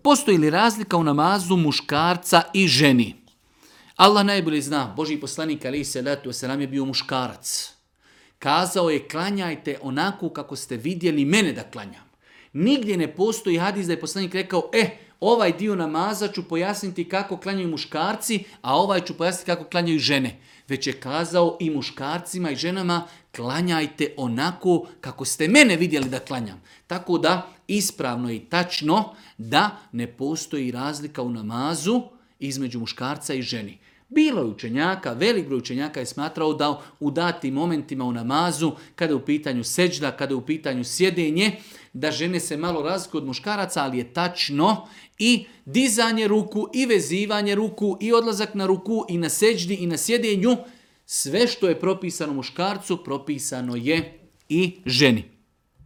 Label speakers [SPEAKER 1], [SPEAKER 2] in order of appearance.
[SPEAKER 1] Postoji li razlika u namazu muškarca i ženi? Allah najbolje zna, Božji poslanik alejhi selatu vesselam je bio muškarac. Kazao je klanjajte onako kako ste vidjeli mene da klanjam. Nigdje ne postoji hadis da je poslanik rekao, ovaj dio namaza ću pojasniti kako klanjaju muškarci, a ovaj ću pojasniti kako klanjaju žene. Već je kazao i muškarcima i ženama, klanjajte onako kako ste mene vidjeli da klanjam. Tako da ispravno i tačno da ne postoji razlika u namazu između muškarca i ženi. Bilo je učenjaka, velik broj učenjaka je smatrao da u datim momentima u namazu, kada je u pitanju seđda, kada je u pitanju sjedenje, da žene se malo razlikuju od muškaraca, ali je tačno i dizanje ruku, i vezivanje ruku, i odlazak na ruku, i na seđdi, i na sjedenju. Sve što je propisano muškarcu, propisano je i ženi.